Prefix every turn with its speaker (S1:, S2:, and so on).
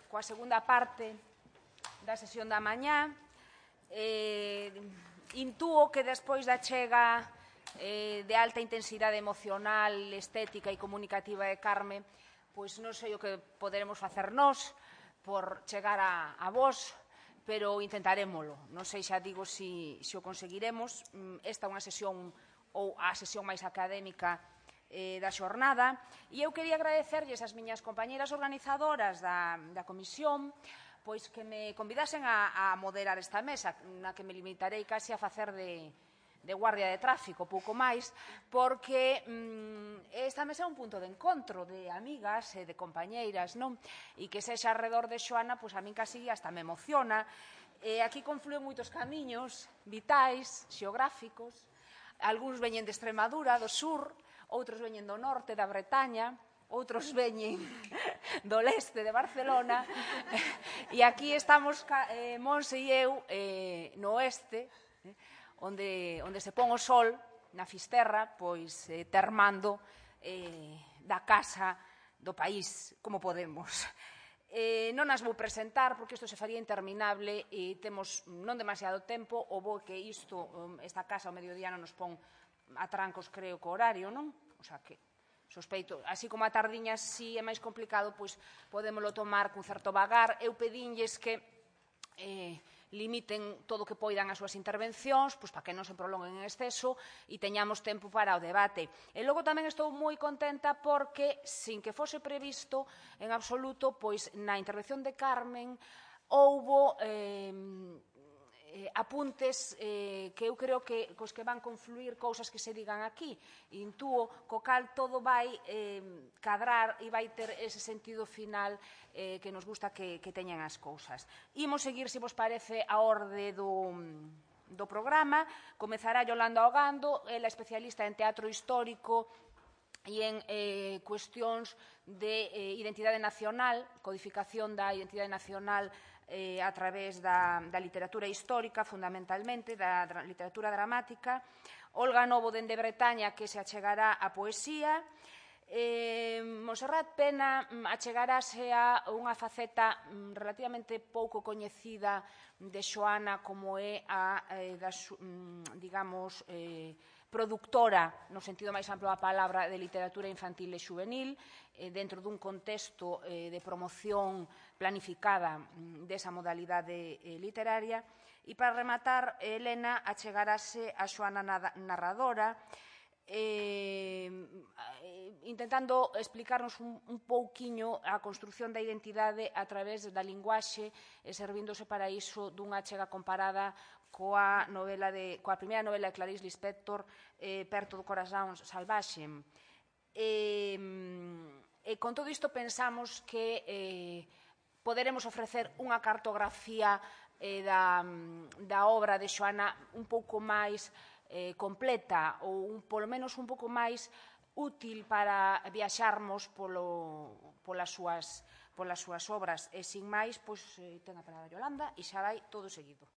S1: coa segunda parte da sesión da mañá. Intúo que despois da chega de alta intensidade emocional, estética e comunicativa de Carme, pois non sei o que poderemos facer nós por chegar a vos, pero intentarémolo. Non sei xa digo se o conseguiremos. Esta é unha sesión ou a sesión máis académica da xornada, e eu quería agradecerlles ás miñas compañeras organizadoras da comisión pois que me convidasen a moderar esta mesa, na que me limitarei casi a facer de guardia de tráfico, pouco máis, porque esta mesa é un punto de encontro de amigas e de compañeiras, non? E que sexa alrededor de Xoana, pois a min casi hasta me emociona. Aquí confluen moitos camiños vitais, xeográficos. Algúns veñen de Extremadura, do sur, outros veñen do norte, da Bretaña, outros veñen do leste de Barcelona, e aquí estamos Monse e eu no oeste, onde se pon o sol, na Fisterra, pois termando da casa do país, como podemos. Non as vou presentar, porque isto se faría interminable e temos non demasiado tempo, o bo que esta casa ao mediodía non nos pon a trancos, creo, co horario, non? O sea que sospeito, así como a tardiña si é máis complicado, pois podémolo tomar cun certo vagar. Eu pedinlles que limiten todo o que poidan as súas intervencións, pois para que non se prolonguen en exceso e teñamos tempo para o debate. E logo tamén estou moi contenta porque, sin que fose previsto en absoluto, pois na intervención de Carmen houbo apuntes que eu creo que cos que van confluir cousas que se digan aquí. Intúo co cal todo vai cadrar e vai ter ese sentido final que nos gusta que teñan as cousas. Imos seguir, se vos parece, a orde do programa. Comezará Yolanda Ogando, ela especialista en teatro histórico e en cuestións de identidade nacional, codificación da identidade nacional a través da literatura histórica, fundamentalmente, da literatura dramática. Olga Novo, dende Bretaña, que se achegará a poesía. Monserrat Pena achegarase a unha faceta relativamente pouco coñecida de Xoana, como é a, digamos, productora, no sentido máis amplo da palabra, de literatura infantil e xuvenil, dentro dun contexto de promoción planificada desa modalidade literaria. E para rematar, Elena achegarase a Xoana narradora, intentando explicarnos un pouquiño a construción da identidade a través da linguaxe e servíndose para iso dunha achega comparada coa primeira novela de Clarice Lispector, Perto do corazón salvaxe. E con todo isto pensamos que poderemos ofrecer unha cartografía da obra de Xoana un pouco máis completa ou polo menos un pouco máis útil para viaxarmos polas súas obras. E sin máis, ten a palabra Yolanda e xa vai todo seguido.